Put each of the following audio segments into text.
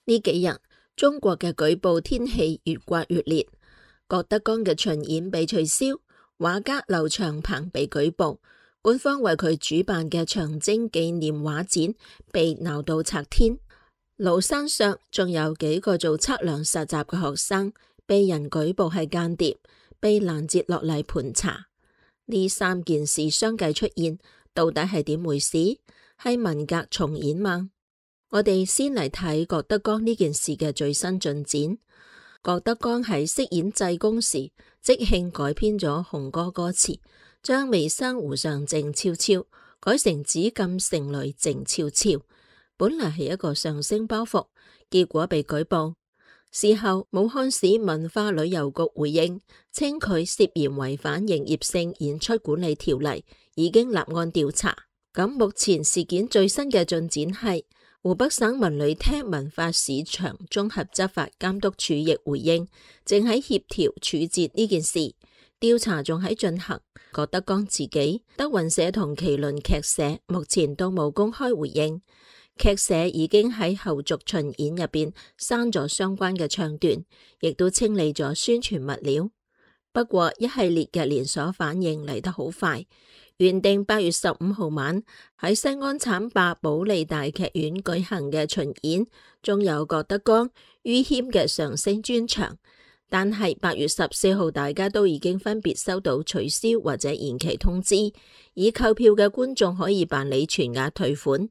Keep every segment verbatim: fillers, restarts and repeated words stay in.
呢幾日中國嘅舉報天氣越刮越烈，郭德綱嘅巡演被取消，畫家劉長鵬被舉報，官方為佢主辦嘅長征紀念畫展被鬧到拆天。廬山上仲有幾個做測量實習嘅學生被人舉報係間諜，被攔截落嚟盤查。呢三件事相繼出現，到底係點回事？係文革重演嗎？我哋先嚟睇郭德綱呢件事嘅最新進展。郭德綱喺飾演濟公時，即興改編咗紅歌歌詞，將微生湖上靜悄悄改成紫禁城裏靜悄悄。本來係一個上升包袱，結果被舉報。事後武漢市文化旅遊局回應，稱佢涉嫌違反營業性演出管理條例，已經立案調查。咁目前事件最新嘅進展係，湖北省文旅廳文化市場綜合執法監督處亦回應，正喺協調處置呢件事，調查仲喺進行。郭德綱自己、德雲社同麒麟劇社目前都冇公開回應。劇社已經喺後續巡演入邊刪咗相關嘅唱段，亦都清理咗宣傳物料。不過一系列嘅連鎖反應嚟得好快，原定八月十五號晚喺西安浐灞保利大劇院舉行嘅巡演，仲有郭德綱、于謙嘅相聲專場。但係八月十四號，大家都已經分別收到取消或者延期通知，已購票嘅觀眾可以辦理全額退款，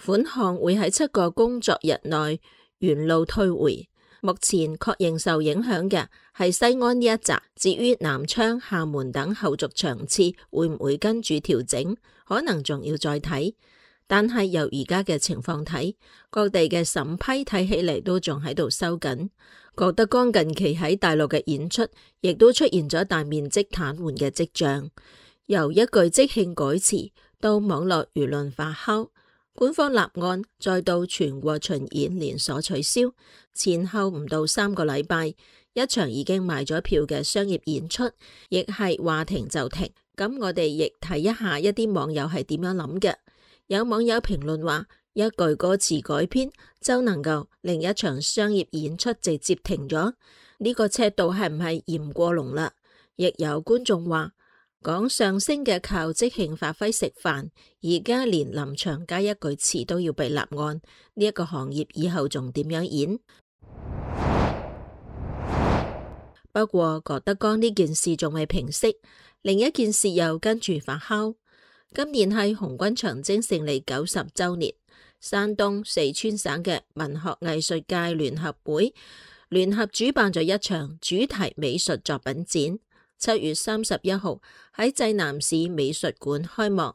款項會喺七個工作日內原路退回。目前確認受影響嘅係西安呢一集，至於南昌、廈門等後續場次會唔會跟住調整，可能仲要再睇。但係由而家嘅情況睇，各地嘅審批睇起嚟都仲喺度收緊。郭德綱近期喺大陸嘅演出，亦都出現咗大面積癱瘓嘅跡象。由一句即興改詞到網絡輿論發酵，官方立案，再到全國巡演連鎖取消，前後唔到三個禮拜，一場已經賣咗票嘅商業演出，亦係話停就停。咁我哋亦睇一下一啲網友係點樣諗嘅。有網友評論話，一句歌詞改編就能夠令一場商業演出直接停咗，呢個尺度係唔係嫌過濃啦？亦有觀眾話，講相聲嘅靠即興發揮食飯，而家連臨場加一句詞都要被立案，呢一個行業以後仲點樣演？不過郭德綱呢件事仲未平息，另一件事又跟住發酵。今年係紅軍長征勝利九十週年，山東、四川省嘅文學藝術界聯合會聯合主辦咗一場主題美術作品展，七月三十一號喺濟南市美術館開幕，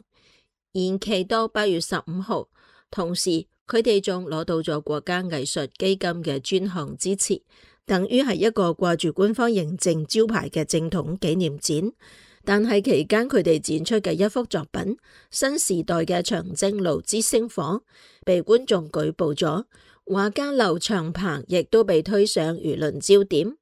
延期到八月十五號。同時，佢哋仲攞到咗國家藝術基金嘅專項支持，等於係一個掛住官方認證招牌嘅正統紀念展。但係期間佢哋展出嘅一幅作品《新時代嘅長征路之星火》被觀眾舉報咗，畫家劉長鵬亦都被推上輿論焦點。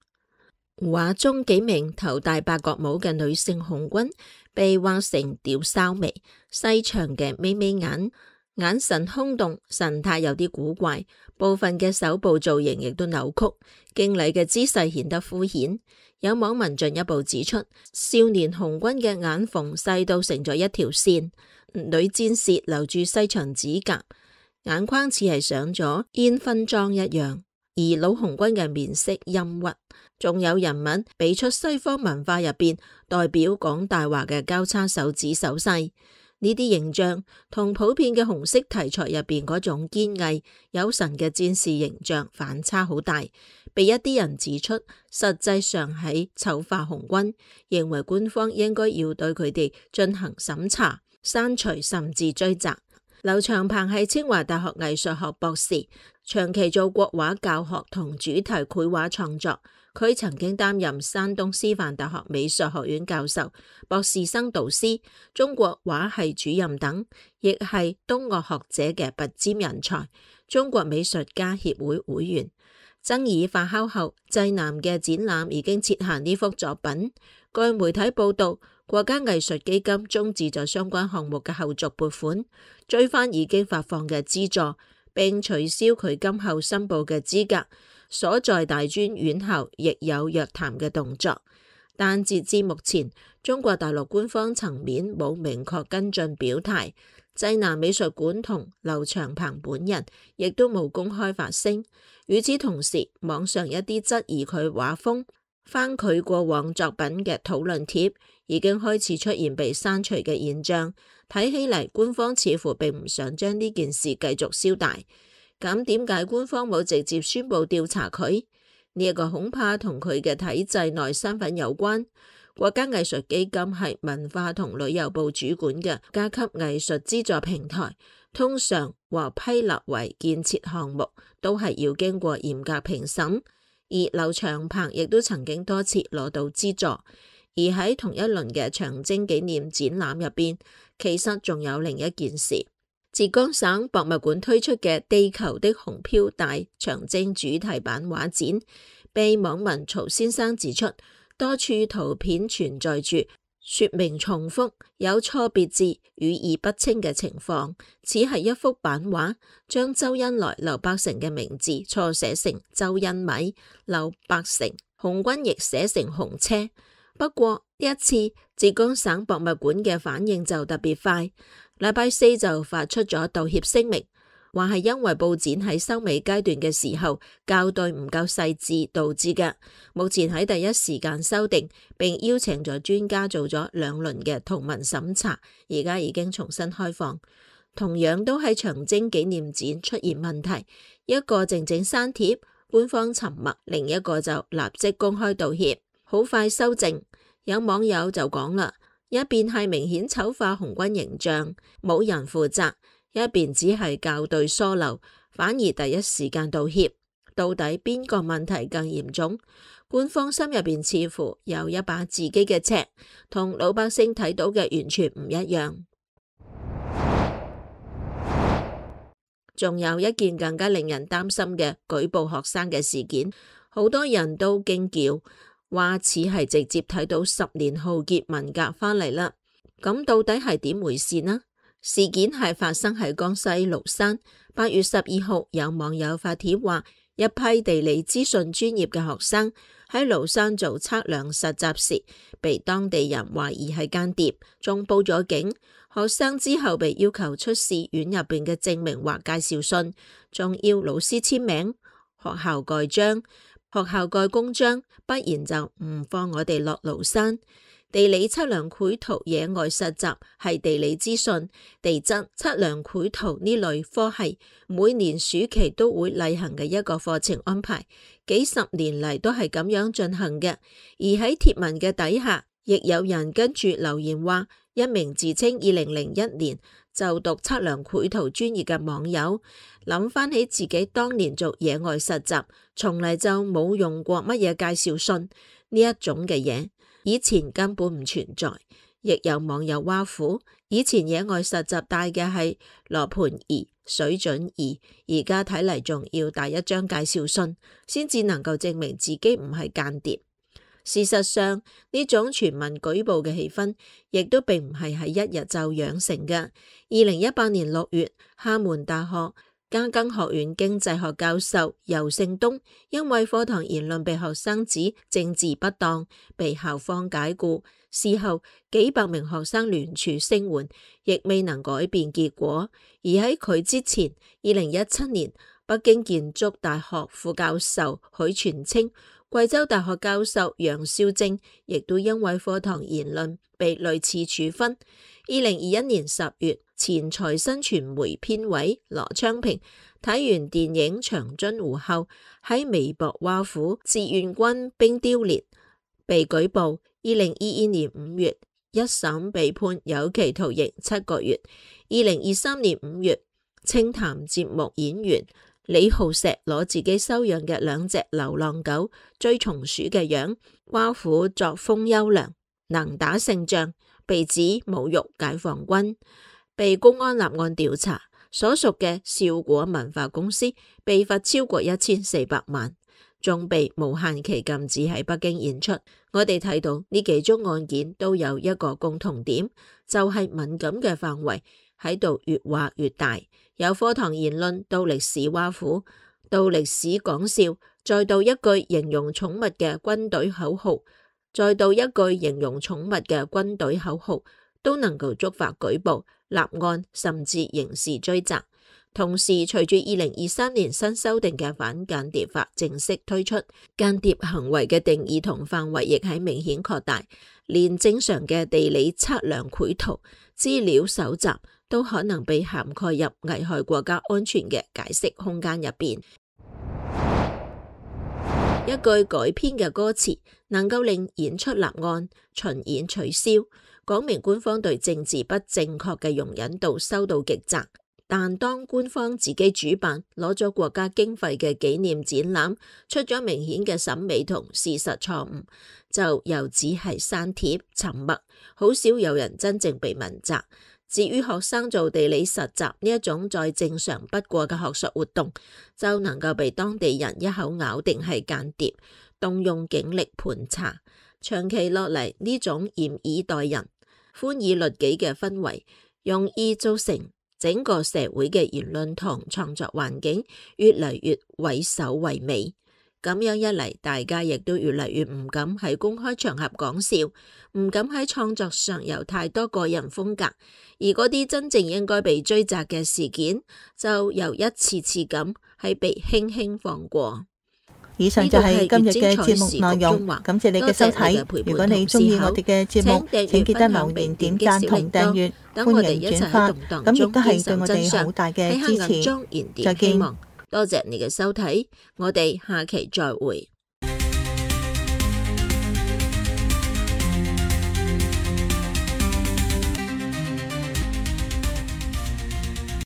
畫中幾名頭戴八角帽嘅女性紅軍被畫成吊哨眉、細長嘅眯眯眼，眼神空洞，神態有啲古怪，部分嘅手部造型亦都扭曲，敬禮嘅姿勢顯得敷衍。有網民進一步指出，少年紅軍嘅眼縫細到成咗一條線，女戰士留住細長指甲，眼眶似係上咗煙熏妝一樣。而老紅軍嘅面色陰鬱，仲有人物比出西方文化入邊代表講大話嘅交叉手指手勢，呢啲形象同普遍嘅紅色題材入邊嗰種堅毅有神嘅戰士形象反差好大，被一啲人指出實際上係醜化紅軍，認為官方應該要對佢哋進行審查、刪除甚至追責。劉長鵬係清華大學藝術學博士，長期做國畫教學同主題繪畫創作。佢曾經擔任山東師範大學美術學院教授、博士生導師、中國畫系主任等，亦係東岳學者嘅拔尖人才，中國美術家協會會員。爭議發酵後，濟南嘅展覽已經撤下呢幅作品。據媒體報道，國家藝術基金終止咗相關項目嘅後續撥款，追翻已經發放嘅資助，並取消佢今後申報嘅資格。所在大專院校亦有約談嘅動作，但截至目前，中國大陸官方層面冇明確跟進表態。濟南美術館同劉長鵬本人亦都冇公開發聲。與此同時，網上一啲質疑佢畫風、翻佢過往作品嘅討論帖已經開始出現被刪除嘅現象。睇起嚟，官方似乎並唔想將呢件事繼續燒大。咁點解官方冇直接宣布調查佢？呢一個恐怕同佢嘅體制內身份有關。國家藝術基金係文化同旅遊部主管嘅甲級藝術資助平台，通常獲批立為建設項目都係要經過嚴格評審。而劉長鵬亦都曾經多次攞到資助。而喺同一輪嘅長征紀念展覽入邊，其實仲有另一件事。浙江省博物館推出嘅《地球的紅飄帶》長征主題版畫展，被網民曹先生指出，多處圖片存在住說明重複、有錯別字、語義不清嘅情況，似係一幅版畫將周恩來、劉伯承嘅名字錯寫成周恩米、劉伯承，紅軍亦寫成紅車。不過呢一次浙江省博物館嘅反應就特別快，禮拜四就發出咗道歉聲明，話係因為佈展喺收尾階段嘅時候校對唔夠細緻導致嘅，目前喺第一時間修訂，並邀請咗專家做咗兩輪嘅圖文審查，而家已經重新開放。同樣都喺長征紀念展出現問題，一個靜靜刪帖，官方沉默，另一個就立即公開道歉，好快修正。有網友就講啦，一邊係明顯醜化紅軍形象，冇人負責；一邊只係校對疏漏，反而第一時間道歉。到底邊個問題更嚴重？官方心入邊似乎有一把自己嘅尺，同老百姓睇到嘅完全唔一樣。仲有一件更加令人擔心嘅舉報學生嘅事件，好多人都驚叫，話似係直接睇到十年浩劫文革返嚟啦。咁到底係點回事呢？事件係發生喺江西廬山。八月十二號，有網友發帖話，一批地理資訊專業嘅學生喺廬山做測量實習時，被當地人懷疑係間諜，仲報咗警。學生之後被要求出示院入邊嘅證明或介紹信，仲要老師簽名、學校蓋章。學校蓋公章，不然就唔放我哋落廬山。地理測量繪圖野外實習係地理資訊、地質測量繪圖呢類科系每年暑期都會例行嘅一個課程安排，幾十年嚟都係咁樣進行嘅。而喺貼文嘅底下，亦有人跟住留言話，一名自稱二零零一年就讀測量繪圖專業嘅網友，諗翻起自己當年做野外實習，從嚟就冇用過乜嘢介紹信呢一種嘅嘢，以前根本唔存在。亦有網友挖苦，以前野外實習帶嘅係羅盤儀、水準儀，而家睇嚟仲要帶一張介紹信，先至能夠證明自己唔係間諜。事實上，呢種全民舉報嘅氣氛，亦都並唔係喺一日就養成嘅。二零一八年六月，廈門大學嘉庚學院經濟學教授游勝東因為課堂言論被學生指政治不當，被校方解雇。事後幾百名學生聯署聲援，亦未能改變結果。而喺佢之前，二零一七年，北京建築大學副教授許傳清、貴州大學教授楊少正亦都因為課堂言論被類似處分。二零二一年十月，前財新傳媒編委羅昌平睇完電影《長津湖》後，喺微博挖苦志願軍冰雕連，被舉報。二零二二年五月，一審被判有期徒刑七個月。二零二三年五月，清談節目演員李浩石攞自己收養嘅兩隻流浪狗追松鼠嘅樣，挖苦作風優良，能打勝仗，被指侮辱解放軍，被公安立案調查。所屬嘅笑果文化公司被罰超過一千四百萬，仲被無限期禁止喺北京演出。我哋睇到呢幾宗案件都有一個共同點，就係敏感嘅範圍喺度越畫越大，由課堂言論到歷史挖苦，到歷史講笑，再到一句形容寵物嘅軍隊口號，再到一句形容寵物嘅軍隊口號，都能夠觸發舉報、立案，甚至刑事追責。同時，隨住二零二三年新修訂嘅反間諜法正式推出，間諜行為嘅定義同範圍亦係明顯擴大，連正常嘅地理測量、繪圖、資料搜集都可能被涵蓋入危害國家安全嘅解釋空間入邊。一句改編嘅歌詞能夠令演出立案、巡演取消，講明官方對政治不正確嘅容忍度收到極窄。但當官方自己主辦攞咗國家經費嘅紀念展覽，出咗明顯嘅審美同事實錯誤，就又只係刪帖沉默，好少有人真正被問責。至於學生做地理實習呢一種再正常不過嘅學術活動，就能夠被當地人一口咬定係間諜，動用警力盤查。長期落嚟，呢種嚴以待人、寬以律己嘅氛圍，容易造成整個社會嘅言論同創作環境越嚟越畏首畏尾，咁樣一嚟，大家亦都越嚟越唔敢喺公開場合講笑，唔敢喺創作上有太多個人風格，而嗰啲真正應該被追責嘅事件，就又一次次咁係被輕輕放過。以上就係今日嘅節目內容，感謝你嘅收睇。如果你鍾意我哋嘅節目，請記得留言、點讚同訂閱，歡迎轉發，咁亦都係對我哋好大嘅支持。再見。多謝你嘅收睇，我哋下期再會。